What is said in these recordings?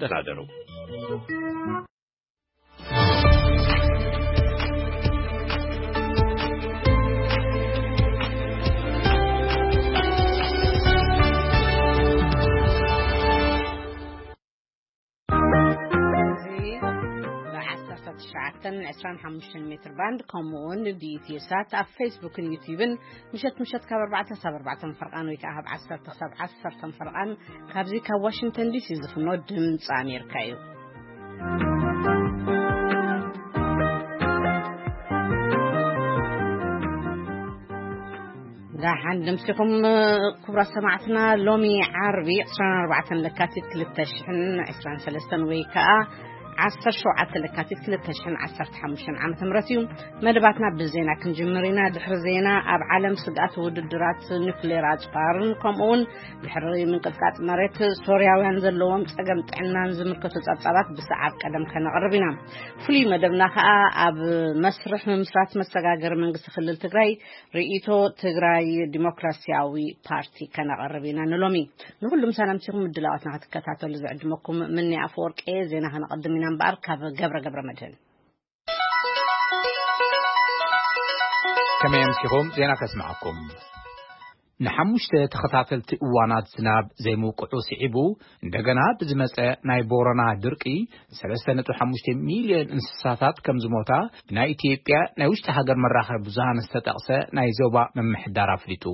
ደህና ደሩ። እዚ ብ19 25 ሜትር ባንድ፣ ከምኡ እውን ብ ኢትዮ ሳት ኣብ ፌስቡክን ዩቲዩብን፣ ምሸት ምሸት ካብ ኣርባዕተ ክሳብ ኣርባዕተ ፈርቓን ወይ ከዓ ካብ ዓሰርተ ክሳብ ዓሰርተ ፈርቓን፣ ካብዚ ካብ ዋሽንግተን ዲሲ ዝፍኖ ድምፂ ኣሜሪካ እዩ። ደሓን ደምሲኹም ክቡራት ሰማዕትና። ሎሚ ዓርቢ ዕስራን ኣርባዕተን ለካቲት ክልተ ሽሕን ዕስራን ሰለስተን ወይ ከዓ ዓሰርተ ሸውዓተ ለካቲት ክልተ ሽሕን ዓሰርተ ሓሙሽተን ዓመተ ምህረት እዩ። መደባትና ብዜና ክንጅምር ኢና። ድሕሪ ዜና፣ ኣብ ዓለም ስግኣት ውድድራት ኒውክሌር ኣጽዋርን ከምኡ እውን ድሕሪ ምንቅጥቃጥ መሬት ሶርያውያን ዘለዎም ጸገም ጥዕናን ዝምልከቱ ጸብጻባት ብሰዓብ ቀደም ከነቕርብ ኢና። ፍሉይ መደብና ከኣ ኣብ መስርሕ ምምስራት መሰጋገሪ መንግስቲ ክልል ትግራይ ርእይቶ ትግራይ ዲሞክራሲያዊ ፓርቲ ከነቕርብ ኢና ንሎሚ። ንኹሉም ሰላምቲኹም ምድላዋትና ክትከታተሉ ዝዕድመኩም ምኒ ኣፈወርቂ። ዜና ከነቐድም ኢና እምበኣር ካብ ገብረ ገብረ መድህን። ከመይ ኣምሲኹም? ዜና ከስምዓኩም። ንሓሙሽተ ተኸታተልቲ እዋናት ዝናብ ዘይምውቅዑ ስዒቡ፣ እንደገና ብዝመጸ ናይ ቦረና ድርቂ ሰለስተ ነጥቢ ሓሙሽተ ሚልዮን እንስሳታት ከም ዝሞታ ብናይ ኢትዮጵያ ናይ ውሽጢ ሃገር መራኸቢ ብዙሃን ዝተጠቕሰ ናይ ዞባ ምምሕዳር ኣፍሊጡ።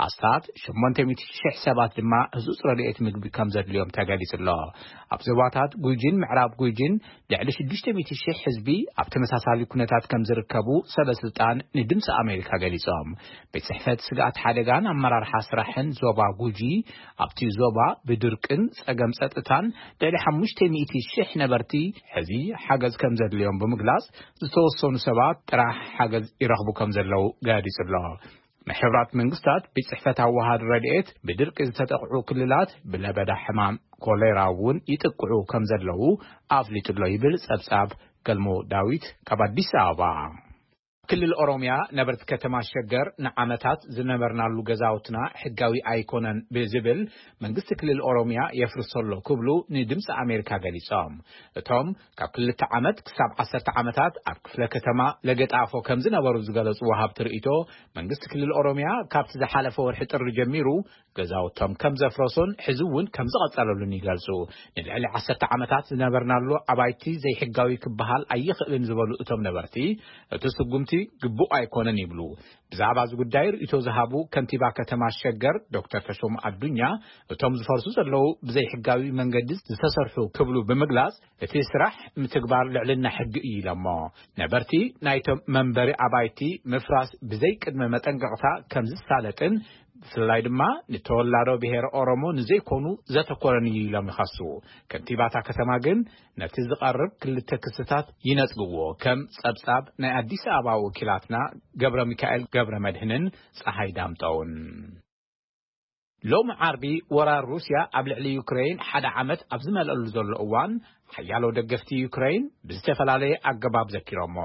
ኣስታት ሸሞንተ ሚእቲ ሽሕ ሰባት ድማ ህጹጽ ረድኤት ምግቢ ከም ዘድልዮም ተገሊጹ ኣሎ። ኣብ ዞባታት ጉጂን ምዕራብ ጉጂን ልዕሊ ሽዱሽተ ሚእቲ ሽሕ ህዝቢ ኣብ ተመሳሳሊ ኩነታት ከም ዝርከቡ ሰበ ስልጣን ንድምፂ ኣሜሪካ ገሊጾም። ቤት ጽሕፈት ስግኣት ሓደጋን ኣመራርሓ ስራሕን ዞባ ጉጂ፣ ኣብቲ ዞባ ብድርቅን ጸገም ጸጥታን ልዕሊ ሓሙሽተ ሚእቲ ሽሕ ነበርቲ ሕዚ ሓገዝ ከም ዘድልዮም ብምግላጽ፣ ዝተወሰኑ ሰባት ጥራሕ ሓገዝ ይረኽቡ ከም ዘለዉ ገሊጹ ኣሎ። ናይ ሕቡራት መንግስታት ቤት ጽሕፈት ኣወሃድ ረድኤት፣ ብድርቂ ዝተጠቕዑ ክልላት ብለበዳ ሕማም ኮሌራ እውን ይጥቅዑ ከም ዘለዉ ኣፍሊጡ ኣሎ ይብል ጸብጻብ ገልሞ ዳዊት ካብ ኣዲስ ኣበባ። ክልል ኦሮሚያ ነበርቲ ከተማ ሸገር ንዓመታት ዝነበርናሉ ገዛውትና ሕጋዊ ኣይኮነን ብዝብል መንግስቲ ክልል ኦሮሚያ የፍርሶ ኣሎ ክብሉ ንድምፂ ኣሜሪካ ገሊጾም። እቶም ካብ ክልተ ዓመት ክሳብ ዓሰርተ ዓመታት ኣብ ክፍለ ከተማ ለገጣፎ ከም ዝነበሩ ዝገለጹ ወሃብቲ ርእይቶ፣ መንግስቲ ክልል ኦሮሚያ ካብቲ ዝሓለፈ ወርሒ ጥሪ ጀሚሩ ገዛውቶም ከም ዘፍረሶን ሕዚ እውን ከም ዝቐጸለሉን ይገልጹ። ንልዕሊ ዓሰርተ ዓመታት ዝነበርናሉ ኣባይቲ ዘይሕጋዊ ክበሃል ኣይኽእልን ዝበሉ እቶም ነበርቲ፣ እቲ ስጉምቲ ግቡእ ኣይኮነን ይብሉ። ብዛዕባ እዚ ጉዳይ ርእይቶ ዝሃቡ ከንቲባ ከተማ ሸገር ዶክተር ተሾም ኣዱኛ፣ እቶም ዝፈርሱ ዘለዉ ብዘይሕጋዊ መንገዲ ዝተሰርሑ ክብሉ ብምግላጽ፣ እቲ ስራሕ ምትግባር ልዕልና ሕጊ እዩ ኢሎሞ። ነበርቲ ናይቶም መንበሪ ኣባይቲ ምፍራስ ብዘይ ቅድመ መጠንቀቕታ ከም ዝሳለጥን፣ ብፍላይ ድማ ንተወላዶ ብሄር ኦሮሞ ንዘይኮኑ ዘተኮረን እዩ ኢሎም ይኸሱ። ከንቲባታ ከተማ ግን ነቲ ዝቐርብ ክልተ ክስታት ይነጽግዎ፣ ከም ጸብጻብ ናይ ኣዲስ ኣበባ ወኪላትና ገብረ ሚካኤል ገብረ መድህንን ጸሃይ ዳምጠውን። ሎሚ ዓርቢ ወራር ሩስያ ኣብ ልዕሊ ዩክሬን ሓደ ዓመት ኣብ ዝመልአሉ ዘሎ እዋን፣ ሓያሎ ደገፍቲ ዩክሬን ብዝተፈላለየ ኣገባብ ዘኪሮሞ።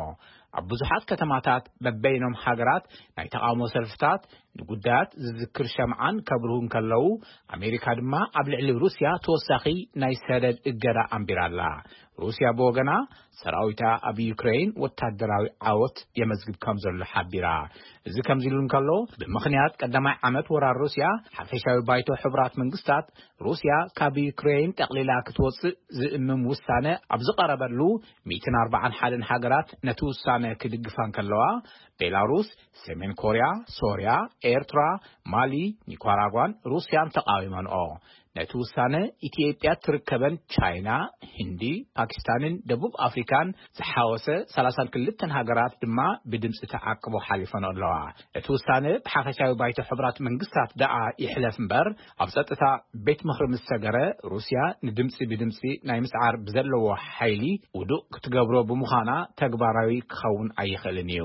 ኣብ ብዙሓት ከተማታት በበይኖም ሃገራት ናይ ተቓውሞ ሰልፍታት፣ ንጉዳያት ዝዝክር ሸምዓን ከብርሁ እንከለዉ፣ ኣሜሪካ ድማ ኣብ ልዕሊ ሩስያ ተወሳኺ ናይ ሰደድ እገዳ ኣንቢራ ኣላ። ሩስያ ብወገና፣ ሰራዊታ ኣብ ዩክሬን ወታደራዊ ዓወት የመዝግብ ከም ዘሎ ሓቢራ። እዚ ከምዚ ኢሉ እንከሎ፣ ብምኽንያት ቀዳማይ ዓመት ወራር ሩስያ፣ ሓፈሻዊ ባይቶ ሕቡራት መንግስታት፣ ሩስያ ካብ ዩክሬን ጠቕሊላ ክትወጽእ ዝእምም ውሳነ ኣብ ዝቐረበሉ፣ ሚእትን ኣርባዓን ሓደን ሃገራት ነቲ ውሳነ ክድግፋ እንከለዋ፣ ቤላሩስ፣ ሰሜን ኮርያ፣ ሶርያ፣ ኤርትራ፣ ማሊ፣ ኒካራጓን ሩስያን ተቓዊመንኦ። ነቲ ውሳነ ኢትዮጵያ ትርከበን ቻይና፣ ህንዲ፣ ፓኪስታንን ደቡብ ኣፍሪካን ዝሓወሰ ሰላሳን ክልተን ሃገራት ድማ ብድምፂ ተዓቅቦ ሓሊፈን ኣለዋ። እቲ ውሳነ ብሓፈሻዊ ባይቶ ሕቡራት መንግስታት ደኣ ይሕለፍ እምበር፣ ኣብ ጸጥታ ቤት ምኽሪ ምስ ሰገረ፣ ሩስያ ንድምፂ ብድምፂ ናይ ምስዓር ብዘለዎ ሓይሊ ውዱእ ክትገብሮ ብምዃና ተግባራዊ ክኸውን ኣይኽእልን እዩ።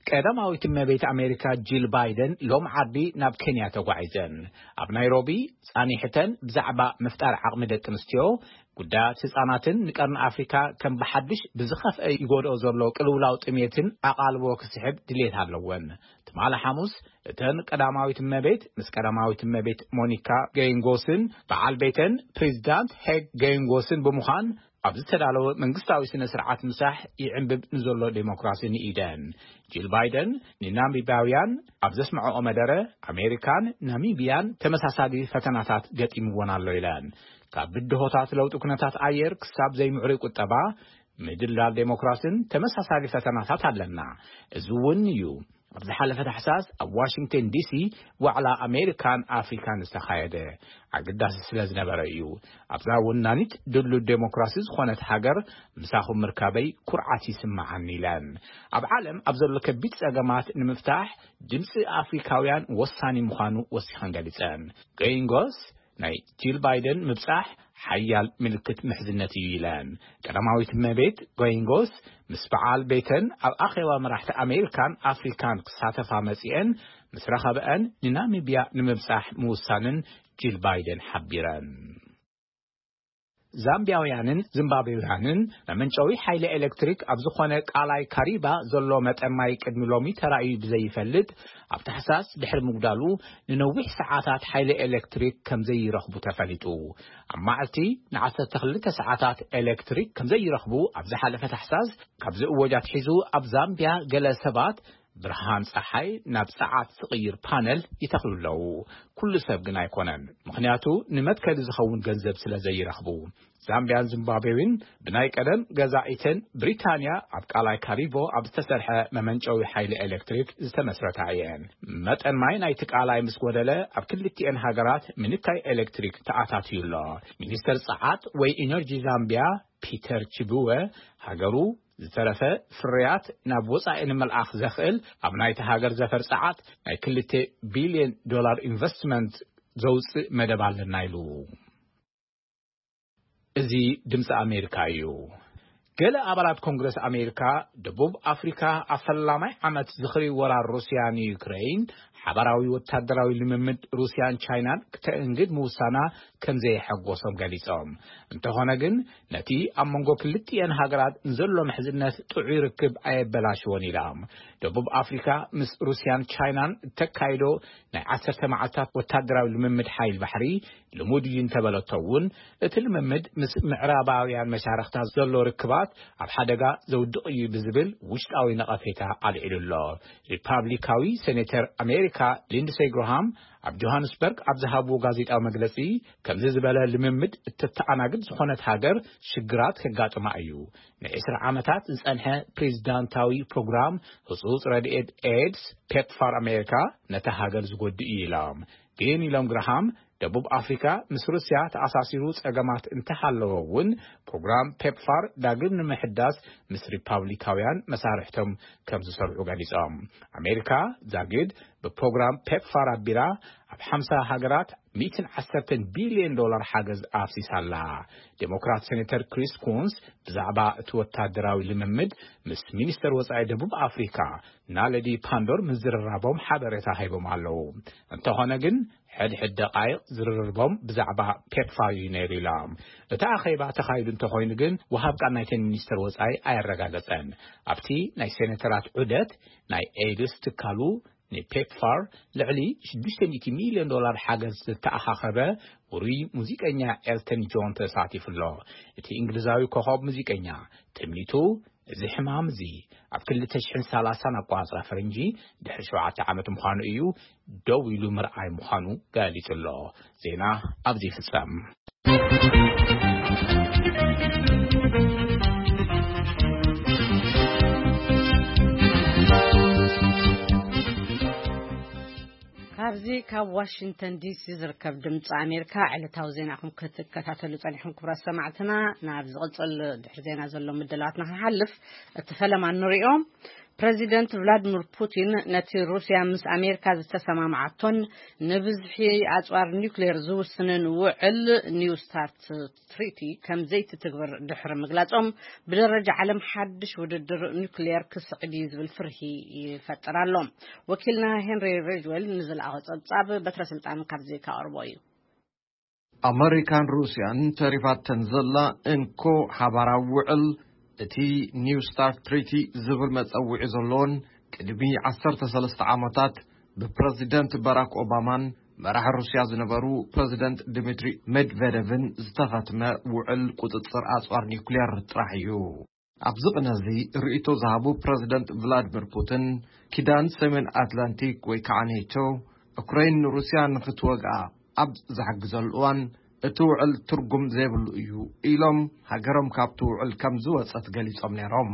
ቀዳማዊት እመቤት ኣሜሪካ ጂል ባይደን ሎም ዓርቢ ናብ ኬንያ ተጓዒዘን። ኣብ ናይሮቢ ጻኒሕተን ብዛዕባ ምፍጣር ዓቕሚ ደቂ ኣንስትዮ፣ ጉዳያት ህጻናትን ንቀርኒ ኣፍሪካ ከም ብሓድሽ ብዝኸፍአ ይጎድኦ ዘሎ ቅልውላው ጥሜትን ኣቓልቦ ክስሕብ ድሌት ኣለወን። ትማሊ ሓሙስ እተን ቀዳማዊት እመቤት ምስ ቀዳማዊት እመቤት ሞኒካ ገይንጎስን በዓል ቤተን ፕሬዚዳንት ሄግ ገይንጎስን ብምዃን ኣብ ዝተዳለወ መንግስታዊ ስነ ስርዓት ምሳሕ ይዕንብብ ንዘሎ ዴሞክራሲ ንኢደን። ጂል ባይደን ንናሚቢያውያን ኣብ ዘስምዐኦ መደረ፣ ኣሜሪካን ናሚቢያን ተመሳሳሊ ፈተናታት ገጢምወን ኣሎ ኢለን። ካብ ብድሆታት ለውጢ ኩነታት ኣየር ክሳብ ዘይምዕሩይ ቁጠባ፣ ምድላል ዴሞክራሲን ተመሳሳሊ ፈተናታት ኣለና። እዚ እውን እዩ ኣብ ዝሓለፈ ታሕሳስ ኣብ ዋሽንግተን ዲሲ ዋዕላ ኣሜሪካን ኣፍሪካን ዝተኻየደ። ኣገዳሲ ስለ ዝነበረ እዩ። ኣብዛ ወናኒት ድሉት ዴሞክራሲ ዝኾነት ሃገር ምሳኹም ምርካበይ ኩርዓት ይስምዓኒ ኢለን። ኣብ ዓለም ኣብ ዘሎ ከቢድ ጸገማት ንምፍታሕ ድምፂ ኣፍሪካውያን ወሳኒ ምዃኑ ወሲኸን ገሊጸን። ገይንጎስ ናይ ጂል ባይደን ምብጻሕ ሓያል ምልክት ምሕዝነት እዩ ኢለን። ቀዳማዊት እመቤት ጎይንጎስ ምስ በዓል ቤተን ኣብ ኣኼባ መራሕቲ ኣሜሪካን ኣፍሪካን ክሳተፋ መጺአን ምስ ረኸበአን ንናሚብያ ንምብጻሕ ምውሳንን ጂል ባይደን ሓቢረን። ዛምቢያውያንን ዚምባብዌውያንን መመንጨዊ ሓይሊ ኤሌክትሪክ ኣብ ዝኾነ ቃላይ ካሪባ ዘሎ መጠን ማይ ቅድሚ ሎሚ ተራእዩ ብዘይፈልጥ ኣብ ታሕሳስ ድሕሪ ምጉዳሉ ንነዊሕ ሰዓታት ሓይሊ ኤሌክትሪክ ከም ዘይረኽቡ ተፈሊጡ። ኣብ መዓልቲ ንዓሰርተ ክልተ ሰዓታት ኤሌክትሪክ ከም ዘይረኽቡ ኣብ ዝሓለፈ ታሕሳስ ካብ ዝእወጅ ኣትሒዙ ኣብ ዛምቢያ ገለ ሰባት ብርሃን ጸሓይ ናብ ጸዓት ዝቕይር ፓነል ይተኽሉ ኣለዉ። ኩሉ ሰብ ግን ኣይኮነን፣ ምኽንያቱ ንመትከሊ ዝኸውን ገንዘብ ስለ ዘይረኽቡ። ዛምቢያን ዚምባብዌን ብናይ ቀደም ገዛኢተን ብሪታንያ ኣብ ቃላይ ካሪቦ ኣብ ዝተሰርሐ መመንጨዊ ሓይሊ ኤሌክትሪክ ዝተመስረታ እየን። መጠን ማይ ናይቲ ቃላይ ምስ ጎደለ ኣብ ክልቲኤን ሃገራት ምንካይ ኤሌክትሪክ ተኣታትዩ ኣሎ። ሚኒስተር ጸዓት ወይ ኢነርጂ ዛምቢያ ፒተር ቺቡወ ሃገሩ ዝተረፈ ፍርያት ናብ ወጻኢ ንምልኣኽ ዘኽእል ኣብ ናይቲ ሃገር ዘፈር ጸዓት ናይ ክልተ ቢልዮን ዶላር ኢንቨስትመንት ዘውጽእ መደብ ኣለና ኢሉ። እዚ ድምፂ ኣሜሪካ እዩ። ገለ ኣባላት ኮንግረስ ኣሜሪካ ደቡብ ኣፍሪካ ኣብ ፈላማይ ዓመት ዝኽሪ ወራር ሩስያ ንዩክሬን ሓባራዊ ወታደራዊ ልምምድ ሩስያን ቻይናን ክተእንግድ ምውሳና ከም ዘየሐጎሶም ገሊጾም። እንተኾነ ግን ነቲ ኣብ መንጎ ክልቲኤን ሃገራት ንዘሎ ምሕዝነት ጥዑይ ርክብ ኣየበላሽዎን ኢሎም። ደቡብ ኣፍሪካ ምስ ሩስያን ቻይናን እተካይዶ ናይ ዓሰርተ መዓልታት ወታደራዊ ልምምድ ሓይል ባሕሪ ልሙድ እዩ እንተበለቶ እውን እቲ ልምምድ ምስ ምዕራባውያን መሻርኽታት ዘሎ ርክባት ኣብ ሓደጋ ዘውድቕ እዩ ብዝብል ውሽጣዊ ነቐፌታ ኣልዒሉ ኣሎ። ሪፓብሊካዊ ሴኔተር ኣሜሪካ ሊንድሴይ ግርሃም ኣብ ጆሃንስበርግ ኣብ ዝሃብዎ ጋዜጣዊ መግለጺ ከምዚ ዝበለ ልምምድ እተተኣናግድ ዝኾነት ሃገር ሽግራት ከጋጥማ እዩ። ንዕስራ ዓመታት ዝጸንሐ ፕሬዚዳንታዊ ፕሮግራም ህጹጽ ረድኤት ኤድስ ፔፕፋር ኣሜሪካ ነታ ሃገር ዝጎድእ እዩ ኢሎም። ግን ኢሎም ግርሃም ደቡብ ኣፍሪካ ምስ ሩስያ ተኣሳሲሩ ጸገማት እንተሃለዎ እውን ፕሮግራም ፔፕፋር ዳግም ንምሕዳስ ምስ ሪፓብሊካውያን መሳርሕቶም ከም ዝሰርሑ ገሊጾም። ኣሜሪካ ዛጊድ ብፕሮግራም ፔፕፋር ኣቢላ ኣብ ሓምሳ ሃገራት ሚእትን ዓሰርተን ቢልዮን ዶላር ሓገዝ ኣፍሲሳ ኣላ። ዴሞክራት ሴኔተር ክሪስ ኩንስ ብዛዕባ እቲ ወታደራዊ ልምምድ ምስ ሚኒስተር ወጻኢ ደቡብ ኣፍሪካ ናለዲ ፓንዶር ምዝርራቦም ሓበሬታ ሂቦም ኣለዉ። እንተኾነ ግን ሕድሕድ ደቃይቕ ዝርርቦም ብዛዕባ ፔፕፋር እዩ ነይሩ ኢሎም። እቲ ኣኼባ ተኻይዱ እንተኾይኑ ግን ወሃብ ቃል ናይተን ሚኒስተር ወጻኢ ኣየረጋገጸን። ኣብቲ ናይ ሴኔተራት ዑደት ናይ ኤድስ ትካሉ ንፔፕፋር ልዕሊ ሽዱሽተ ሚእቲ ሚልዮን ዶላር ሓገዝ ዝተኣኻኸበ ውሩይ ሙዚቀኛ ኤልተን ጆን ተሳቲፉ ኣሎ። እቲ እንግሊዛዊ ኮኸብ ሙዚቀኛ ትምኒቱ እዚ ሕማም እዚ ኣብ ክልተ ሽሕን ሰላሳን ኣቋጽራ ፈረንጂ ድሕሪ ሸውዓተ ዓመት ምዃኑ እዩ ደው ኢሉ ምርኣይ ምዃኑ ገሊጹ ኣሎ። ዜና ኣብዚ ይፍጸም። ካብዚ ካብ ዋሽንግተን ዲሲ ዝርከብ ድምፂ ኣሜሪካ ዕለታዊ ዜናኹም ክትከታተሉ ጸኒሕኩም ክቡራት ሰማዕትና፣ ናብ ዝቕጽል ድሕሪ ዜና ዘሎ ምድላዋትና ክንሓልፍ እቲ ፈለማ ንሪኦ። ፕረዚደንት ቭላድሚር ፑቲን ነቲ ሩስያ ምስ ኣሜሪካ ዝተሰማምዓቶን ንብዝሒ ኣጽዋር ኒውክሌር ዝውስንን ውዕል ኒው ስታርት ትሪቲ ከም ዘይትትግብር ድሕሪ ምግላጾም፣ ብደረጃ ዓለም ሓድሽ ውድድር ኒውክሌር ክስዕብ እዩ ዝብል ፍርሂ ይፈጥር ኣሎ። ወኪልና ሄንሪ ሪጅዌል ንዝለኣኾ ጸብጻብ በትረ ስልጣን ካብዚ ከቕርቦ እዩ። ኣመሪካን ሩስያን ተሪፋተን ዘላ እንኮ ሓባራዊ ውዕል፣ እቲ ኒው ስታርት ትሪቲ ዝብል መጸውዒ ዘለዎን ቅድሚ ዓሰርተ ሰለስተ ዓመታት ብፕረዚደንት ባራክ ኦባማን መራሒ ሩስያ ዝነበሩ ፕረዚደንት ድሚትሪ ሜድቬደቭን ዝተኸትመ ውዕል ቁጽጽር ኣጽዋር ኒውክሌር ጥራሕ እዩ። ኣብዚ ቅነ እዚ ርእይቶ ዝሃቡ ፕረዚደንት ቭላድሚር ፑቲን፣ ኪዳን ሰሜን ኣትላንቲክ ወይ ከዓ ኔቶ፣ ዩክሬን ንሩስያ ንኽትወግኣ ኣብ ዝሕግዘሉ እዋን፣ እቲ ውዕል ትርጉም ዘይብሉ እዩ ኢሎም፣ ሃገሮም ካብቲ ውዕል ከም ዝወጸት ገሊጾም ነይሮም።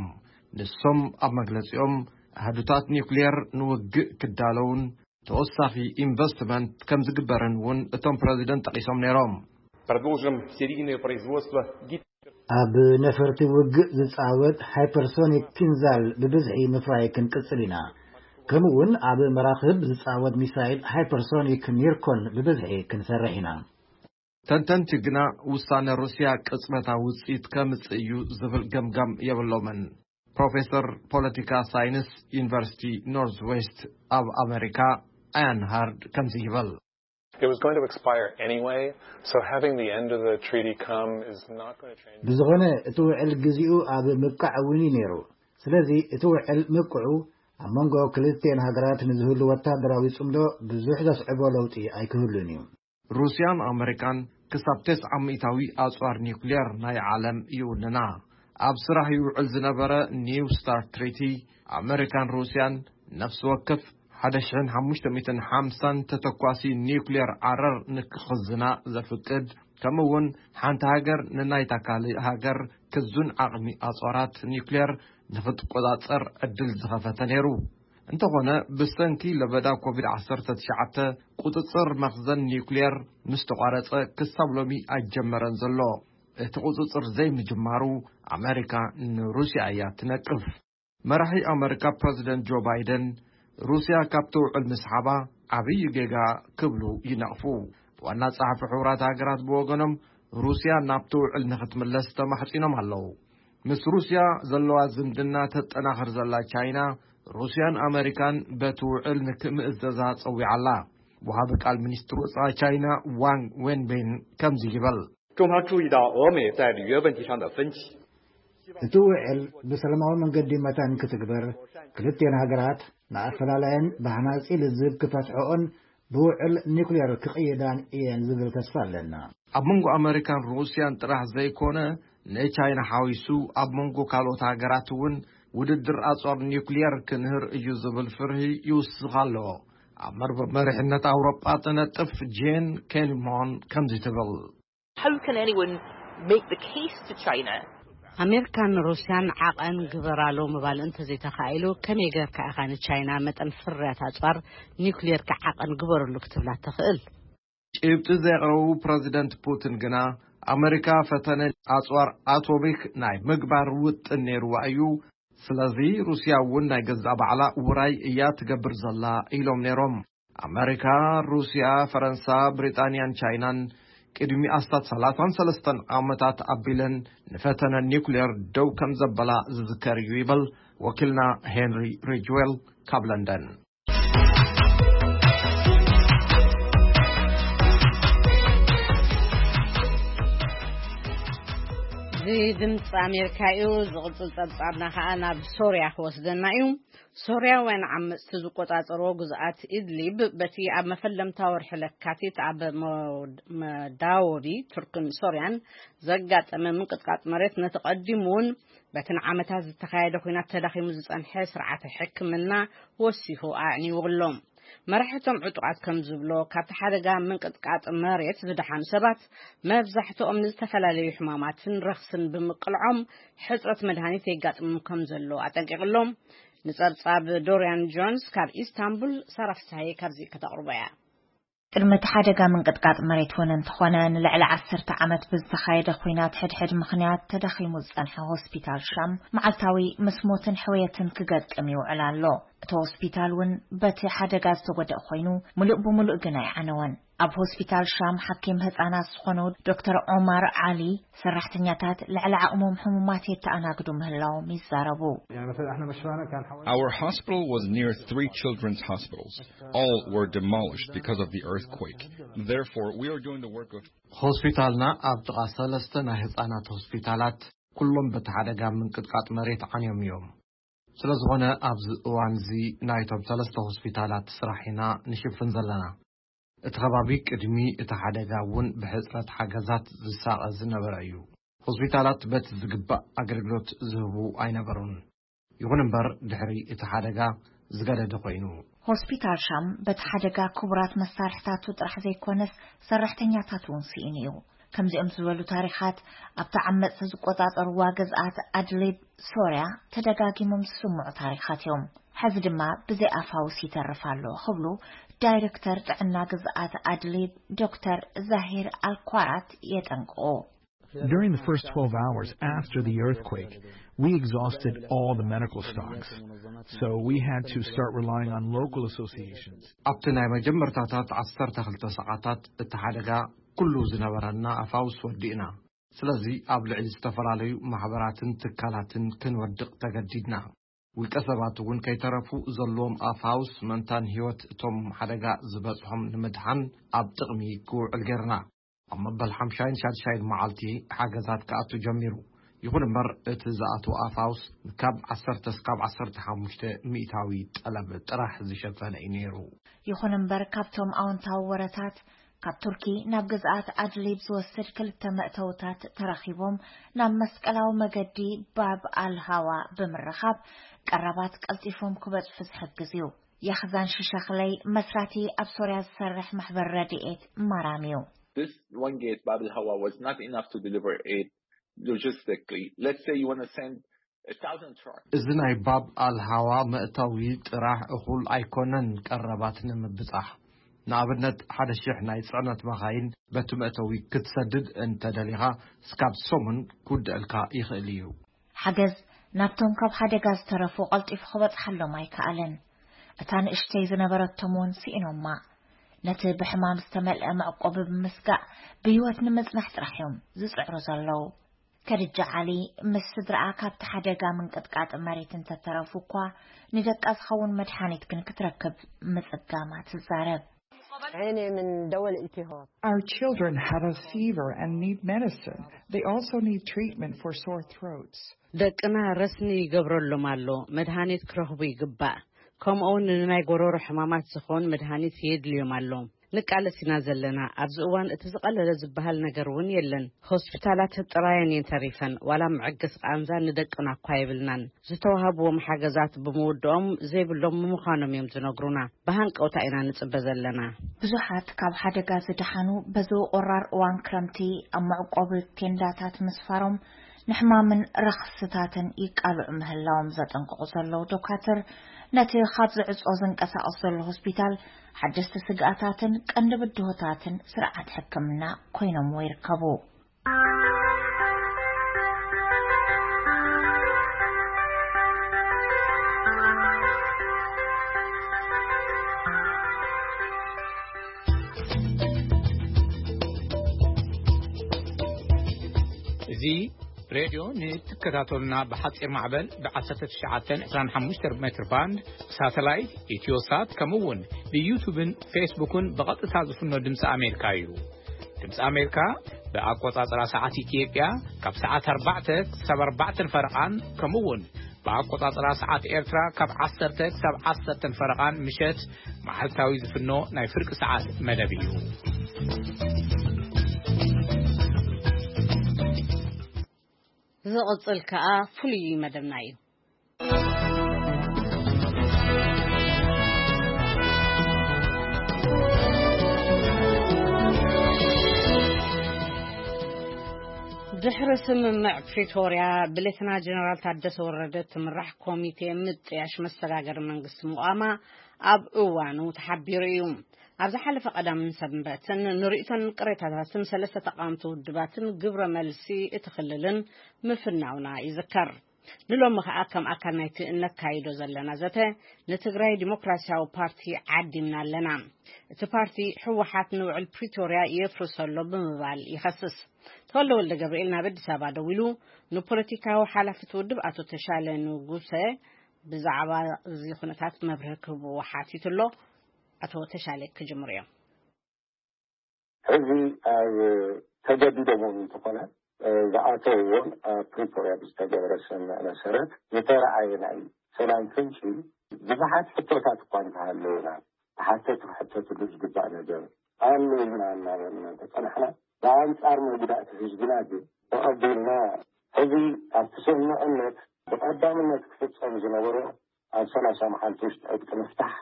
ንሶም ኣብ መግለጺኦም፣ ኣህዱታት ኒውክሌር ንውግእ ክዳለውን ተወሳኺ ኢንቨስትመንት ከም ዝግበርን እውን እቶም ፕረዚደንት ጠቒሶም ነይሮም። Продолжим серийное производство гиперсониковых ኣብ ነፈርቲ ውግእ ዝጻወት ሃይፐርሶኒክ ኪንዛል ብብዝሒ ምፍራይ ክንቅጽል ኢና። ከምኡ እውን ኣብ መራኽብ ዝጻወት ሚሳይል ሃይፐርሶኒክ ኒርኮን ብብዝሒ ክንሰርሕ ኢና። ተንተንቲ ግና ውሳነ ሩስያ ቅጽበታዊ ውጽኢት ከምጽእ እዩ ዝብል ገምጋም የብሎምን። ፕሮፌሰር ፖለቲካ ሳይንስ ዩኒቨርሲቲ ኖርዝ ዌስት ኣብ ኣሜሪካ ኣያን ሃርድ ከምዚ ይብል። It was going to expire anyway, so having the end of the treaty come is not going to change. ብዝኾነ እቲ ውዕል ግዚኡ ኣብ ምብቃዕ እውን እዩ ነይሩ። ስለዚ እቲ ውዕል ምብቅዑ ኣብ መንጎ ክልቲኤን ሃገራት ንዝህሉ ወታደራዊ ጽምዶ ብዙሕ ዘስዕቦ ለውጢ ኣይክህሉን እዩ። ሩስያን ኣመሪካን ክሳብ ተስዓ ሚእታዊ ኣጽዋር ኒውክሌር ናይ ዓለም ይውንና። ኣብ ስራሕ ይውዕል ዝነበረ ኒው ስታርት ትሪቲ፣ ኣመሪካን ሩስያን ነፍሲ ወከፍ ሓደ ሽሕን ሓሙሽተ ሚእትን ሓምሳን ተተኳሲ ኒውክሌር ዓረር ንክኽዝና ዘፍቅድ፣ ከምኡ እውን ሓንቲ ሃገር ንናይታ ካልእ ሃገር ክዙን ዓቕሚ ኣጽዋራት ኒውክሌር ንኽትቆጻጸር ዕድል ዝኸፈተ ነይሩ። እንተኾነ፣ ብሰንኪ ለበዳ ኮቪድ ዓሰርተ ትሽዓተ ቁጽጽር መኽዘን ኒውክሌር ምስ ተቋረጸ፣ ክሳብ ሎሚ ኣይጀመረን ዘሎ። እቲ ቁጽጽር ዘይምጅማሩ፣ ኣመሪካ ንሩስያ እያ ትነቅፍ። መራሒ ኣመሪካ ፕረዚደንት ጆ ባይደን፣ ሩስያ ካብቲ ውዕል ምስሓባ ዓብዪ ጌጋ ክብሉ ይነቕፉ። ዋና ጸሓፊ ሕቡራት ሃገራት ብወገኖም፣ ሩስያ ናብቲ ውዕል ንኽትምለስ ተማሕጺኖም ኣለዉ። ምስ ሩስያ ዘለዋ ዝምድና ተጠናኽር ዘላ ቻይና፣ ሩስያን ኣመሪካን በቲ ውዕል ንክምእዘዛ ጸዊዓ ኣላ። ወሃቢ ቃል ሚኒስትር ወጻኢ ቻይና ዋንግ ዌንቤን ከምዚ ይብል። 中方注意到俄美在履约问题上的分歧。 እቲ ውዕል ብሰላማዊ መንገዲ መታን ክትግበር፣ ክልቲኤን ሃገራት ንኣፈላላየን ብሃናጺ ልዝብ ክፈትሕኦን ብውዕል ኒውክሌር ክቕይዳን እየን ዝብል ተስፋ ኣለና። ኣብ መንጎ ኣመሪካን ሩስያን ጥራሕ ዘይኮነ፣ ንቻይና ሓዊሱ ኣብ መንጎ ካልኦት ሃገራት እውን ውድድር ኣጽዋር ኒውክሌር ክንህር እዩ ዝብል ፍርሂ ይውስኽ ኣሎ። ኣብ መርበብ መሪሕነት ኣውሮጳ ትነጥፍ ጄን ኬኒሞን ከምዚ ትብል። How can anyone make the case to China? ኣሜሪካን ሩስያን ዓቐን ግበራሉ ምባል እንተዘይተኻኢሉ፣ ከመይ ጌርካ ኢኻ ንቻይና መጠን ፍርያት ኣጽዋር ኒውክሌርካ ዓቐን ግበርሉ ክትብላ ትኽእል? ጭብጢ ዘቕረቡ ፕረዚደንት ፑቲን ግና፣ ኣመሪካ ፈተነ ኣጽዋር ኣቶሚክ ናይ ምግባር ውጥን ነይርዋ እዩ፣ ስለዚ ሩስያ እውን ናይ ገዛእ ባዕላ ውራይ እያ ትገብር ዘላ ኢሎም ነይሮም። ኣመሪካ፣ ሩስያ፣ ፈረንሳ፣ ብሪጣንያን ቻይናን ቅድሚ ኣስታት ሰላሳን ሰለስተን ዓመታት ኣቢለን ንፈተነ ኒውክሌር ደው ከም ዘበላ ዝዝከር እዩ ይብል ወኪልና ሄንሪ ሪጅዌል ካብ ለንደን። እዚ ድምፂ ኣሜሪካ እዩ። ዝቕፅል ፀብፃብና ከዓ ናብ ሶርያ ክወስደና እዩ። ሶርያውያን ዓመፅቲ ዝቆፃፀርዎ ግዝኣት ኢድሊብ በቲ ኣብ መፈለምታ ወርሒ ለካቲት ኣብ መዳወቢ ቱርክን ሶርያን ዘጋጠመ ምንቅጥቃጥ መሬት ነቲ ቀዲሙ እውን በቲ ንዓመታት ዝተኻየደ ኲናት ተዳኺሙ ዝጸንሐ ስርዓተ ሕክምና ወሲኹ ኣዕኒዉ ኣሎ። መራሕቶም ዕጡቓት ከም ዝብሎ፣ ካብቲ ሓደጋ ምንቅጥቃጥ መሬት ዝደሓኑ ሰባት መብዛሕትኦም ንዝተፈላለዩ ሕማማትን ረኽስን ብምቅልዖም ሕጽረት መድሃኒት የጋጥሞም ከም ዘሎ ኣጠንቂቑ ኣሎ። ንጸብጻብ ዶርያን ጆንስ ካብ ኢስታንቡል ሳራ ፍስሃየ ካብዚ ከተቕርቦ እያ። ቅድሚ እቲ ሓደጋ ምንቅጥቃጥ መሬት እውን እንተኾነ፣ ንልዕሊ ዓሰርተ ዓመት ብዝተኻየደ ኲናት ሕድሕድ ምኽንያት ተዳኺሙ ዝጸንሐ ሆስፒታል ሻም፣ መዓልታዊ ምስ ሞትን ሕውየትን ክገጥም ይውዕል ኣሎ። እቲ ሆስፒታል እውን በቲ ሓደጋ ዝተጎድአ ኮይኑ፣ ምሉእ ብምሉእ ግን ኣይዓነወን። ኣብ ሆስፒታል ሻም ሓኪም ህጻናት ዝኾኑ ዶክተር ዑማር ዓሊ፣ ሰራሕተኛታት ልዕሊ ዓቕሞም ሕሙማት የተኣናግዱ ምህላዎም ይዛረቡ። Our hospital was near three children's hospitals. All were demolished because of the earthquake. Therefore, we are doing the work of ሆስፒታልና ኣብ ጥቓ ሰለስተ ናይ ህጻናት ሆስፒታላት፣ ኩሎም በቲ ሓደጋ ምንቅጥቃጥ መሬት ዓንዮም እዮም። ስለ ዝኾነ ኣብዚ እዋን እዚ ናይቶም ሰለስተ ሆስፒታላት ስራሕ ኢና ንሽፍን ዘለና። እቲ ከባቢ ቅድሚ እቲ ሓደጋ እውን ብሕጽረት ሓገዛት ዝሳቐ ዝነበረ እዩ። ሆስፒታላት በቲ ዝግባእ ኣገልግሎት ዝህቡ ኣይነበሩን። ይኹን እምበር ድሕሪ እቲ ሓደጋ ዝገደደ ኮይኑ። ሆስፒታል ሻም በቲ ሓደጋ ክቡራት መሳርሕታቱ ጥራሕ ዘይኮነስ፣ ሰራሕተኛታቱ እውን ስኢኑ እዩ። ከምዚኦም ዝበሉ ታሪኻት ኣብቲ ዓመጽቲ ዝቆጻጸርዋ ግዝኣት ኣድሊብ ሶርያ ተደጋጊሞም ዝስምዑ ታሪኻት እዮም። ሕዚ ድማ ብዘይ ኣፋውስ ይተርፍ ኣሎ ክብሉ ዳይሬክተር ጥዕና ግዝኣት ኣድሊብ ዶክተር ዛሂር ኣልኳራት የጠንቅቑ። During the first twelve hours after the earthquake, we exhausted all the medical stocks. So we had to start relying on local associations. ኣብቲ ናይ መጀመርታታት ዓሰርተ ክልተ ሰዓታት እቲ ሓደጋ ኩሉ ዝነበረና ኣፋውስ ወዲእና። ስለዚ ኣብ ልዕሊ ዝተፈላለዩ ማሕበራትን ትካላትን ክንወድቕ ተገዲድና። ውልቀ ሰባት እውን ከይተረፉ ዘለዎም ኣፋውስ ምእንታን ህይወት እቶም ሓደጋ ዝበጽሖም ንምድሓን ኣብ ጥቕሚ ክውዕል ጌርና። ኣብ መበል ሓምሻይን ሻድሻይን መዓልቲ ሓገዛት ክኣቱ ጀሚሩ። ይኹን እምበር እቲ ዝኣትወ ኣፋውስ ካብ ዓሰርተ እስካብ ዓሰርተ ሓሙሽተ ሚእታዊ ጠለብ ጥራሕ ዝሸፈነ እዩ ነይሩ። ይኹን እምበር ካብቶም ኣወንታዊ ወረታት፣ ካብ ቱርኪ ናብ ግዝኣት ኣድሊብ ዝወስድ ክልተ መእተውታት ተረኺቦም ናብ መስቀላዊ መገዲ ባብ ኣልሃዋ ብምርኻብ ቀረባት ቀልጢፎም ክበጽሑ ዝሕግዝ እዩ። ያኽዛን ሽሸኽለይ መስራቲ ኣብ ሶርያ ዝሰርሕ ማሕበር ረድኤት ማራም እዩ። This one gate, Bab al Hawa, was not enough to deliver aid logistically. Let's say you want to send a thousand trucks. እዚ ናይ ባብ ኣልሃዋ መእተዊ ጥራሕ እኹል ኣይኮነን ቀረባት ንምብጻሕ። ንኣብነት ሓደ ሽሕ ናይ ጽዕነት መኻይን በቲ መእተዊ ክትሰድድ እንተደሊኻ እስካብ ሰሙን ክውድአልካ ይኽእል እዩ። ሓገዝ ናብቶም ካብ ሓደጋ ዝተረፉ ቀልጢፉ ክበጽሓሎም ኣይከኣለን። እታ ንእሽተይ ዝነበረቶም እውን ስኢኖማ። ነቲ ብሕማም ዝተመልአ መዕቆቢ ብምስጋእ ብህይወት ንምጽናሕ ጥራሕ እዮም ዝጽዕሩ ዘለዉ። ከድጃ ዓሊ ምስ ስድራኣ ካብቲ ሓደጋ ምንቅጥቃጥ መሬት እንተተረፉ እኳ ንደቃ ዝኸውን መድሓኒት ግን ክትረክብ ምጽጋማ ትዛረብ። عيني من دواء الالتهاب. Our children have a fever and need medicine. They also need treatment for sore throats. ደቅና ረስኒ ይገብረሎም ኣሎ፣ መድሃኒት ክረኽቡ ይግባእ። ከምኡውን ንናይ ጎሮሮ ሕማማት ዝኾን መድሃኒት የድልዮም ኣሎ። ንቃለስ ኢና ዘለና። ኣብዚ እዋን እቲ ዝቐለለ ዝበሃል ነገር እውን የለን። ሆስፒታላት ጥራየን እየን ተሪፈን። ዋላ መዐገሲ ቃንዛ ንደቅና እኳ የብልናን። ዝተዋህብዎም ሓገዛት ብምውድኦም ዘይብሎም ምዃኖም እዮም ዝነግሩና። ብሃንቀውታ ኢና ንጽበ ዘለና። ብዙሓት ካብ ሓደጋ ዝደሓኑ በዚ ቆራር እዋን ክረምቲ ኣብ መዕቆቢ ቴንዳታት ምስፋሮም ንሕማምን ረኽስታትን ይቃልዑ ምህላዎም ዘጠንቅቑ ዘለዉ ዶካትር፣ ነቲ ካብ ዝዕጾ ዝንቀሳቐስ ዘሎ ሆስፒታል ሓደስቲ ስግኣታትን ቀንዲ ብድሆታትን ስርዓት ሕክምና ኮይኖምዎ ይርከቡ። እዚ ሬድዮ ንትከታተሉና ብሓጺር ማዕበል ብ19 25 ሜትር ባንድ፣ ብሳተላይት፣ ኢትዮሳት፣ ከምኡ እውን ብዩቱብን ፌስቡክን ብቐጥታ ዝፍኖ ድምፂ ኣሜሪካ እዩ። ድምፂ ኣሜሪካ ብኣቆጻጽራ ሰዓት ኢትዮጵያ ካብ ሰዓት ኣርባዕተ ክሳብ ኣርባዕተ ፈረቓን፣ ከምኡ እውን ብኣቆጻጽራ ሰዓት ኤርትራ ካብ ዓሰርተ ክሳብ ዓሰርተ ፈረቓን ምሸት መዓልታዊ ዝፍኖ ናይ ፍርቂ ሰዓት መደብ እዩ። ዝቕጽል ከኣ ፍሉይ መደብና እዩ። ድሕሪ ስምምዕ ፕሪቶርያ፣ ብሌተና ጀነራል ታደሰ ወረደ ትምራሕ ኮሚቴ ምጥያሽ መሰጋገሪ መንግስቲ ምቋማ ኣብ እዋኑ ተሓቢሩ እዩ። ኣብ ዝሓለፈ ቀዳምን ሰንበትን ንርእይቶን ቅሬታታትን ሰለስተ ተቓወምቲ ውድባትን ግብረ መልሲ እቲ ክልልን ምፍናውና ይዝከር። ንሎሚ ኸኣ ከም ኣካል ናይቲ እነካይዶ ዘለና ዘተ ንትግራይ ዲሞክራሲያዊ ፓርቲ ዓዲምና ኣለና። እቲ ፓርቲ ህወሓት ንውዕል ፕሪቶርያ የፍርሶ ኣሎ ብምባል ይኸስስ። ተወልደ ወልደ ገብርኤል ናብ ኣዲስ ኣበባ ደዊሉ ንፖለቲካዊ ሓላፊ እቲ ውድብ ኣቶ ተሻለ ንጉሰ ብዛዕባ እዚ ኩነታት መብርሂ ክህብዎ ሓቲቱ ኣሎ። ኣቶ ተሻለ ክጅምሩ እዮም። ሕዚ ኣብ ተገዲዶም እውን እንተኾነ ዝኣተውዎን ኣብ ፕሪቶርያ ብዝተገበረ ስምምዕ መሰረት ዝተረኣየ ናይ ሰላም ፍንጪ ብዙሓት ሕቶታት እኳ እንተሃለውና ተሓተቲ ክሕተትሉ ዝግባእ ነገር ኣሎ ኢልና እናበልና እንተፀናሕና ብኣንፃር መጉዳእቲ ህዝብና ግን ተቐቢልና ሕዚ ኣብቲ ስምምዕነት ብቐዳምነት ክፍፀም ዝነበሮ ኣብ ሰላሳ መዓልቲ ውሽጢ ዕጥቂ ምፍታሕ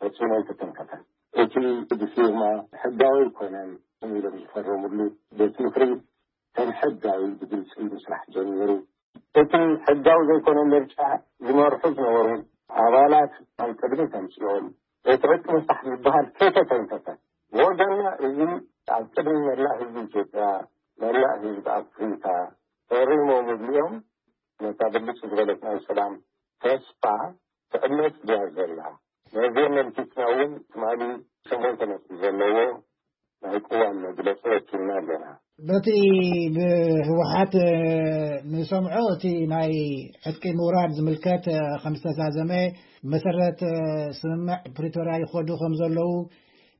ፈፂሙ ኣይተተንከፈን። እቲ ብፊርማ ሕጋዊ ኣይኮነን ኢሎም ዝፈረምሉ ቤት ምኽሪ ከም ሕጋዊ ብግልፂ ምስራሕ ጀሚሩ። እቲ ሕጋዊ ዘይኮነ ምርጫ ዝመርሑ ዝነበሩ ኣባላት ኣብ ቅድሚት ኣምፂኦም እቲ ዕጥቂ ምፍታሕ ዝበሃል ከይተተንከፈ ብወገንና እዚ ኣብ ቅድሚ መላእ ህዝቢ ኢትዮጵያ መላእ ህዝቢ ኣፍሪካ ፈሪሞምሉ እዮም። ነታ ብልጭ ዝበለት ናይ ሰላም ተስፋ ትዕመፅ ድያ ዘላ? ነዚ ኣመልኪትና እውን ትማሊ ሸሞንተ ነጥቢ ዘለዎ ናይ ቅዋም መግለፂ ወኪልና ኣለና። በቲ ብህወሓት ንሰምዖ እቲ ናይ ዕጥቂ ምውራድ ዝምልከት ከም ዝተዛዘመ መሰረት ስምምዕ ፕሪቶርያ ይኸዱ ከም ዘለዉ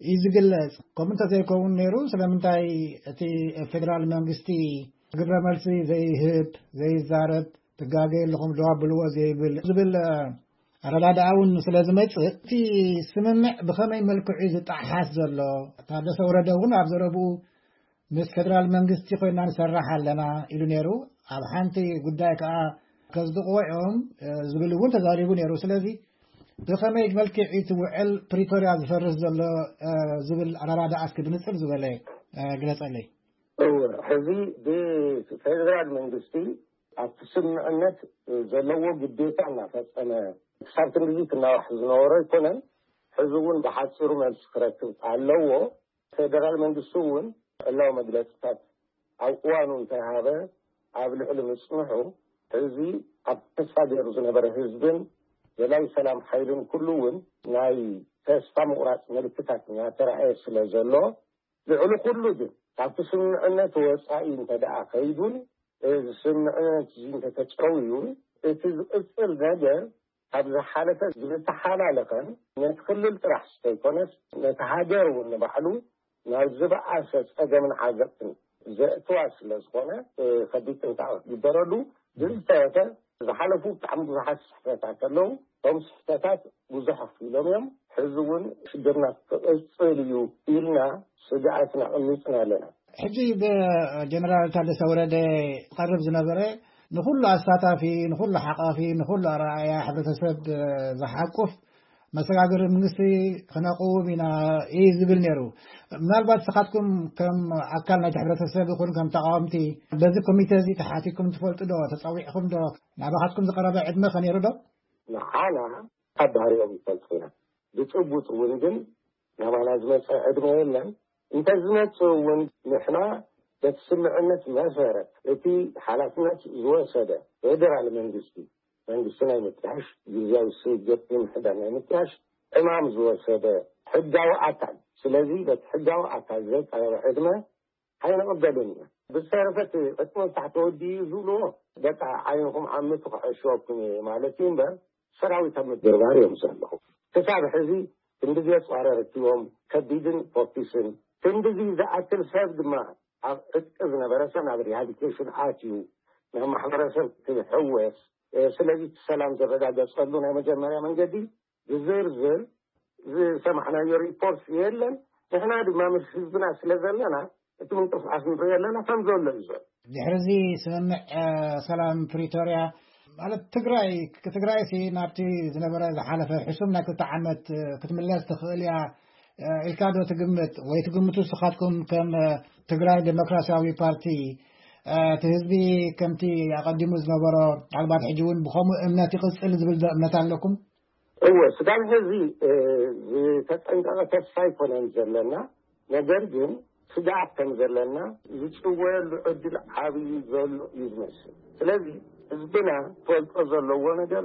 እዩ ዝግለጽ። ከምኡ እንተዘይከውን ነይሩ ስለምንታይ እቲ ፌደራል መንግስቲ ግብረ መልሲ ዘይህብ ዘይዛረብ ትጋገ ኣለኹም ደው ኣብልዎ ዘይብል ዝብል ኣረዳድኣ እውን ስለ ዝመጽእ እቲ ስምምዕ ብኸመይ መልክዑ እዩ ዝጠሓስ ዘሎ? ታደሰ ወረደ እውን ኣብ ዘረብኡ ምስ ፌደራል መንግስቲ ኮይና ንሰርሕ ኣለና ኢሉ ነይሩ። ኣብ ሓንቲ ጉዳይ ከዓ ከጽድቕዎ እዮም ዝብል እውን ተዛሪቡ ነይሩ። ስለዚ ብኸመይ መልክዕ እዩ እቲ ውዕል ፕሪቶርያ ዝፈርስ ዘሎ ዝብል ኣረዳድኣ እስኪ ብንጽር ዝበለ ግለጸለይ። እወ፣ ሕዚ ብፌደራል መንግስቲ ኣብቲ ስምምዕነት ዘለዎ ግዴታ እናፈጸመ ክሳብ ክንድዚ ክናዋሕ ዝነበሮ ኣይኮነን። ሕዚ እውን ብሓፂሩ መልሲ ክረክብ ኣለዎ። ፌደራል መንግስቲ እውን ዕላዊ መግለፅታት ኣብ እዋኑ እንተይሃበ ኣብ ልዕሊ ምፅንሑ ሕዚ ኣብ ተስፋ ገይሩ ዝነበረ ህዝብን ዘላዊ ሰላም ሓይልን ኩሉ እውን ናይ ተስፋ ምቑራፅ ምልክታት እናተረኣየ ስለ ዘሎ ልዕሊ ኩሉ ግን ካብቲ ስምምዕነት ወፃኢ እንተደኣ ከይዱን እዚ ስምምዕነት እዚ እንተተጨውዩን እቲ ዝቕፅል ነገር ካብ ዝሓለፈ ዝተሓላለኸን ነቲ ክልል ጥራሕ ዝተይኮነስ ነቲ ሃገር እውን ንባዕሉ ናብ ዝበኣሰ ፀገምን ዓዘቕትን ዘእትዋ ስለ ዝኾነ ከቢድ ጥንቃቐ ክግበረሉ ብዝተረፈ ዝሓለፉ ብጣዕሚ ብዙሓት ስሕተታት ኣለዉ። እቶም ስሕተታት ብዙሕ ኣኽፊሎም እዮም። ሕዚ እውን ሽግርና ክቕፅል እዩ ኢልና ስግኣትና ኣቐሚጥና ኣለና። ሕጂ ብጀነራል ታደሰ ወረደ ዝቐርብ ዝነበረ ንኹሉ ኣሳታፊ፣ ንኹሉ ሓቋፊ፣ ንኹሉ ኣረኣእያ ሕብረተሰብ ዝሓቁፍ መሰጋገሪ መንግስቲ ክነቕውም ኢና እዩ ዝብል ነይሩ። ምናልባት ንስኻትኩም ከም ኣካል ናይቲ ሕብረተሰብ ይኹን ከም ተቃወምቲ በዚ ኮሚተ እዚ ተሓቲኩም ትፈልጡ ዶ? ተፀዊዕኹም ዶ? ናባኻትኩም ዝቀረበ ዕድመ ከ ነይሩ ዶ? ንዓና ካብ ባህሪኦም ይፈልጡ ኢና። ብጭቡጥ እውን ግን ናባና ዝመፀ ዕድመ የለን። እንተዝመፅእ እውን ንሕና በቲ ስምምዕነት መሰረት እቲ ሓላፍነት ዝወሰደ ፌደራል መንግስቲ መንግስቲ ናይ ምጥያሽ፣ ግዝያዊ ስግግር ምምሕዳር ናይ ምጥያሽ ዕማም ዝወሰደ ሕጋዊ ኣካል። ስለዚ በቲ ሕጋዊ ኣካል ዘቀረበ ዕድመ ኣይንቕበልን ኢና። ብዝተረፈ እቲ ዕጥቂ ምፍታሕ ተወዲኡ እዩ ዝብልዎ በቃ ዓይንኹም ዓምቱ ክሕሽወኩም እየ ማለት እዩ እምበር ሰራዊት ኣብ ምድርባር እዮም ዘለዉ። ክሳብ ሕዚ ክንድዚ ኣፅዋር ኣረኪቦም ከቢድን ፎኪስን ክንድዚ ዝኣክል ሰብ ድማ ኣብ ዕጥቂ ዝነበረ ሰብ ናብ ሪሃቢሊቴሽን ኣትዩ ናብ ማሕበረሰብ ክሕወስ ስለዚ እቲ ሰላም ዝረጋገፀሉ ናይ መጀመርያ መንገዲ ብዝርዝር ዝሰማዕናዮ ሪፖርት የለን። ንሕና ድማ ምስ ህዝብና ስለ ዘለና እቲ ምንቅስቃስ ንሪኦ ኣለና ከም ዘሎ እዩ ዘሎ። ድሕሪ እዚ ስምምዕ ሰላም ፕሪቶርያ ማለት ትግራይ ትግራይ ሲ ናብቲ ዝነበረ ዝሓለፈ ሕሱም ናይ ክልተ ዓመት ክትምለስ ትኽእል እያ ኢልካ ዶ ትግምት ወይ ትግምቱ ንስኻትኩም ከም ትግራይ ዴሞክራሲያዊ ፓርቲ እቲ ህዝቢ ከምቲ ኣቐዲሙ ዝነበሮ ምናልባት ሕጂ እውን ብኸምኡ እምነት ይቕፅል ዝብል ዶ እምነት ኣለኩም? እወ፣ ስጋብ ሕዚ ዝተጠንቀቐ ተስፋ ኣይኮነን ዘለና። ነገር ግን ስግኣት ከም ዘለና ዝጽወየሉ ዕድል ዓብዪ ዘሎ እዩ ዝመስል። ስለዚ ህዝብና ክፈልጦ ዘለዎ ነገር፣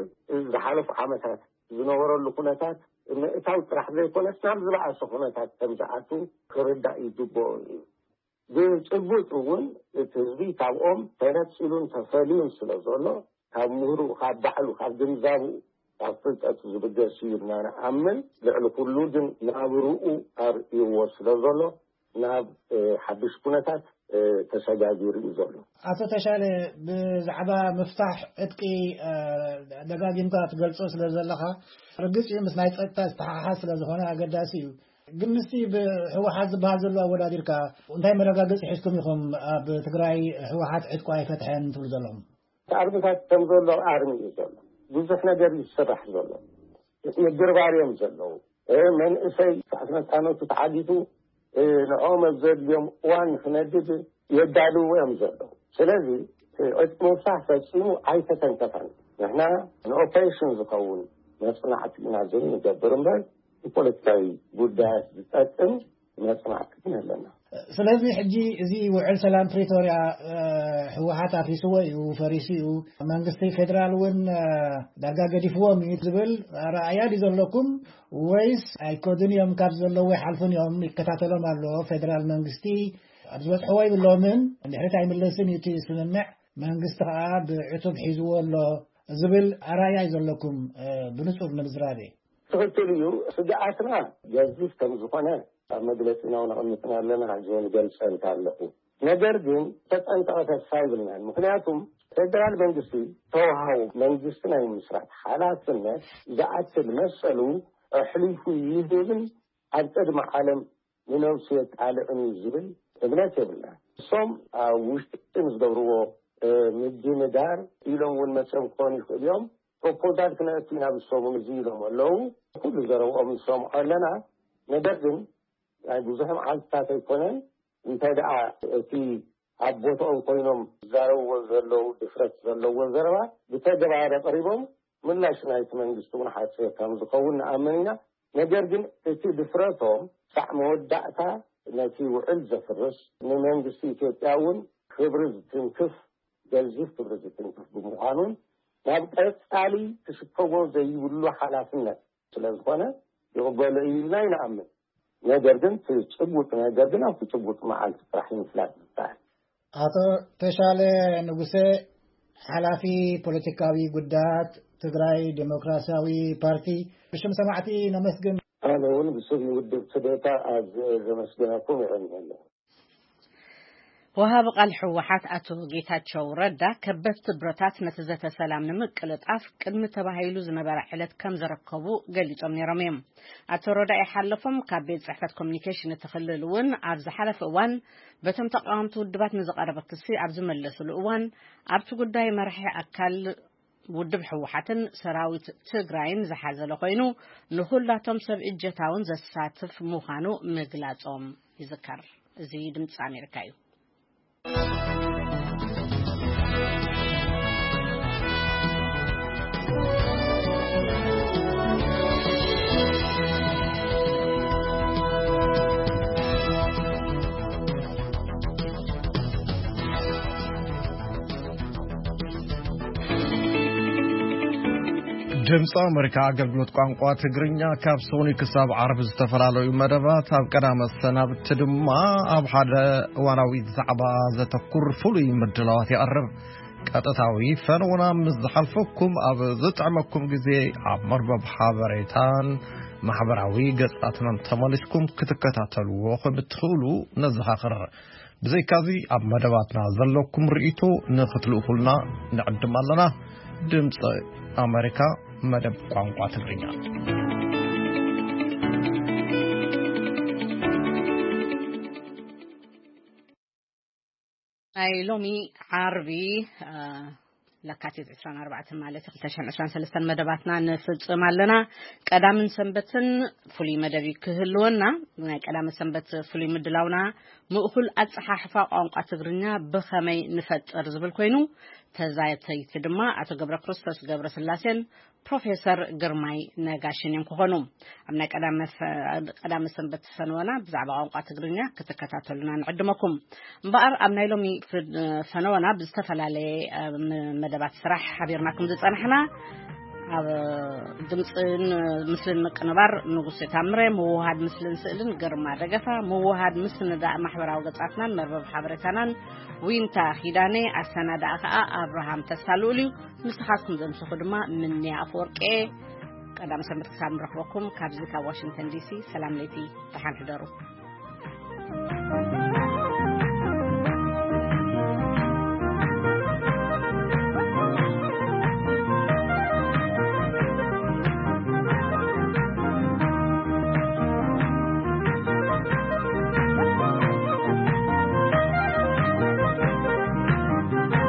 ዝሓለፉ ዓመታት ዝነበረሉ ኩነታት ምእታው ጥራሕ ዘይኮነስ ናብ ዝበኣሰ ኩነታት ከም ዝኣቱ ክርዳእ ይግብኦ እዩ። ብጭቡጥ እውን እቲ ህዝቢ ካብኦም ተነጺሉን ተፈልዩን ስለ ዘሎ፣ ካብ ምሁሩ፣ ካብ ባዕሉ፣ ካብ ግንዛቡ፣ ካብ ፍልጠቱ ዝብገስ እዩ ኢልና ንኣምን። ልዕሊ ኩሉ ግን ናብርኡ ኣርእይዎ ስለ ዘሎ ናብ ሓድሽ ኩነታት ተሰጋጊሩ እዩ ዘሎ። ኣቶ ተሻለ፣ ብዛዕባ ምፍታሕ ዕጥቂ ደጋጊምካ ትገልጾ ስለ ዘለኻ፣ ርግጽ እዩ፣ ምስ ናይ ጸጥታ ዝተሓሓዝ ስለ ዝኾነ ኣገዳሲ እዩ። ግን ምስቲ ብህወሓት ዝበሃል ዘሎ ኣወዳዲርካ፣ እንታይ መረጋገጺ ሒዝኩም ኢኹም ኣብ ትግራይ ህወሓት ዕጥቁ ኣይፈትሐን ትብሉ ዘለኹም? ኣርምታት ከም ዘሎ ኣርሚ እዩ ዘሎ። ብዙሕ ነገር እዩ ዝስራሕ ዘሎ። ምድርባር እዮም ዘለዉ። መንእሰይ ስርዓት መፃነቱ ተዓጊቱ ንኦም ኣብ ዘድልዮም እዋን ክነድድ የዳልዎ እዮም ዘለዉ። ስለዚ ዕጥቂ ምፍታሕ ፈፂሙ ኣይተተንከፈን። ንሕና ንኦፕሬሽን ዝኸውን መፅናዕቲ ኢና ዝብል ንገብር እምበር ንፖለቲካዊ ጉዳያት ዝጠቅም መፅናዕቲ ግን ኣለና። ስለዚ ሕጂ እዚ ውዕል ሰላም ፕሪቶርያ ህወሓት ኣፍሪስዎ እዩ፣ ፈሪሱ እዩ፣ መንግስቲ ፌደራል እውን ዳርጋ ገዲፍዎም እዩ ዝብል ኣረኣእያ ድዩ ዘለኩም? ወይስ ኣይከዱን እዮም፣ ካብ ዘለዉ ይሓልፉን እዮም፣ ይከታተሎም ኣሎ ፌደራል መንግስቲ፣ ኣብ ዝበፅሕዎ ይብሎምን፣ ንድሕሪት ኣይምለስን እዩ እቲ ስምምዕ፣ መንግስቲ ከዓ ብዕቱብ ሒዝዎ ኣሎ ዝብል ኣረኣእያ እዩ ዘለኩም? ብንፁር ንምዝራብ እየ። ትኽክል እዩ። ስግኣትና ገዚፍ ከም ዝኾነ ኣብ መግለፂና እውን ኣቐሚጥና ኣለና፣ ሕዚ እውን ገልፀልካ ኣለኹ። ነገር ግን ተጠንቀቐ ተስፋ ይብልናን። ምክንያቱም ፌደራል መንግስቲ ተዋሃቡ መንግስቲ ናይ ምስራት ሓላፍነት ዝኣክል መሰሉ ኣሕሊፉ ይህብን ኣብ ቅድሚ ዓለም ንነብሱ የቃልዕን እዩ ዝብል እምነት የብልና። እሶም ኣብ ውሽጢ ዝገብርዎ ምድንጋር ኢሎም እውን መፅኦም ክኾኑ ይኽእሉ እዮም። ፕሮፖዛል ክነእቱ ኢና ብሶም እውን እዚ ኢሎም ኣለዉ። ኩሉ ዘረብኦም ንሰምዖ ኣለና። ነገር ግን ናይ ብዙሕ መዓልትታት ኣይኮነን። እንታይ ደኣ እቲ ኣብ ቦታኦም ኮይኖም ዝዛረብዎ ዘለዉ ድፍረት ዘለዎ ዘረባ ብተግባር ኣቕሪቦም ምላሽ ናይቲ መንግስቲ እውን ሓፂር ከም ዝኸውን ንኣምን ኢና። ነገር ግን እቲ ድፍረቶም ሳዕ መወዳእታ ነቲ ውዕል ዘፍርስ፣ ንመንግስቲ ኢትዮጵያ እውን ክብሪ ዝትንክፍ ገዚፍ ክብሪ ዝትንክፍ ብምዃኑን ናብ ቀፃሊ ክሽከሞ ዘይብሉ ሓላፍነት ስለ ዝኾነ ይቕበሎ እዩ ኢልና ይንኣምን። ነገር ግን እቲ ጭቡጥ ነገር ግን ኣብቲ ጭቡጥ መዓልቲ ጥራሕ ምፍላጥ ይከኣል። ኣቶ ተሻለ ንጉሰ፣ ሓላፊ ፖለቲካዊ ጉዳያት ትግራይ ዴሞክራሲያዊ ፓርቲ፣ ብሽም ሰማዕቲ ነመስግን። ኣነ እውን ብስም ውድብ ትዴታ ኣዝየ ዘመስግነኩም ይዕልመለኹ። ወሃቢ ቃል ህወሓት ኣቶ ጌታቸው ረዳ፣ ከበድቲ ብረታት ነቲ ዘተ ሰላም ንምቅልጣፍ ቅድሚ ተባሂሉ ዝነበረ ዕለት ከም ዘረከቡ ገሊጾም ነይሮም እዮም። ኣቶ ረዳ ይሓለፎም ካብ ቤት ጽሕፈት ኮሚኒኬሽን እቲ ክልል እውን ኣብ ዝሓለፈ እዋን በቶም ተቃወምቲ ውድባት ንዝቐረበ ክሲ ኣብ ዝመለሱሉ እዋን፣ ኣብቲ ጉዳይ መራሒ ኣካል ውድብ ህወሓትን ሰራዊት ትግራይን ዝሓዘለ ኮይኑ፣ ንኹላቶም ሰብ እጀታውን ዘሳትፍ ምዃኑ ምግላጾም ይዝከር። እዚ ድምፂ ኣሜሪካ እዩ። ድምፂ ኣሜሪካ ኣገልግሎት ቋንቋ ትግርኛ ካብ ሰኑይ ክሳብ ዓርቢ ዝተፈላለዩ መደባት፣ ኣብ ቀዳመ ሰናብቲ ድማ ኣብ ሓደ እዋናዊ ዛዕባ ዘተኩር ፍሉይ ምድላዋት የቕርብ። ቀጥታዊ ፈነውና ምስ ዝሓልፈኩም ኣብ ዝጥዕመኩም ግዜ ኣብ መርበብ ሓበሬታን ማሕበራዊ ገጻትናን ተመሊስኩም ክትከታተልዎ ከም እትኽእሉ ነዘኻኽር። ብዘይካዚ ኣብ መደባትና ዘለኩም ርእይቶ ንኽትልእኹልና ንዕድም ኣለና። ድምፂ ኣሜሪካ መደብ ቋንቋ ትግርኛ። ናይ ሎሚ ዓርቢ ለካቲት ዕስራን ኣርባዕተን ማለት ክልተ ሽሕን ዕስራን ሰለስተን መደባትና ንፍጽም ኣለና። ቀዳምን ሰንበትን ፍሉይ መደብ ክህልወና። ናይ ቀዳምን ሰንበት ፍሉይ ምድላውና ምእኹል ኣጸሓሕፋ ቋንቋ ትግርኛ ብኸመይ ንፈጥር ዝብል ኮይኑ፣ ተዛተይቲ ድማ ኣቶ ገብረ ክርስቶስ ገብረ ስላሴን ፕሮፌሰር ግርማይ ነጋሽን እዮም ክኾኑ። ኣብ ናይ ቀዳመ ሰ-፣ ቀዳመ ሰንበት ፈነወና ብዛዕባ ቋንቋ ትግርኛ ክትከታተሉና ንዕድመኩም። እምበኣር ኣብ ናይ ሎሚ ፍ-፣ ፈነወና ብዝተፈላለየ፣ እ፣ ም-፣ መደባት ስራሕ ሓቢርናኩም ዝጸናሕና፣ ኣብ ድምፅን ምስልን ምቅንባር ንጉሴ ታምረ፣ ምውሃድ ምስልን ስእልን ግርማ ደገፋ፣ ምውሃድ ምስንዳእ ማሕበራዊ ገጻትናን መርበብ ሓበሬታናን ዊንታ ኪዳነ፣ ኣሰናዳኣ ከዓ ኣብርሃም ተስፋ ልኡል እዩ። ንስኻትኩም ዘምሰኹ ድማ ምንያ ኣፈወርቂ። ቀዳም ሰንበት ክሳብ ንረኽበኩም ካብዚ ካብ ዋሽንግተን ዲሲ ሰላም ለይቲ፣ ደሓን ሕደሩ።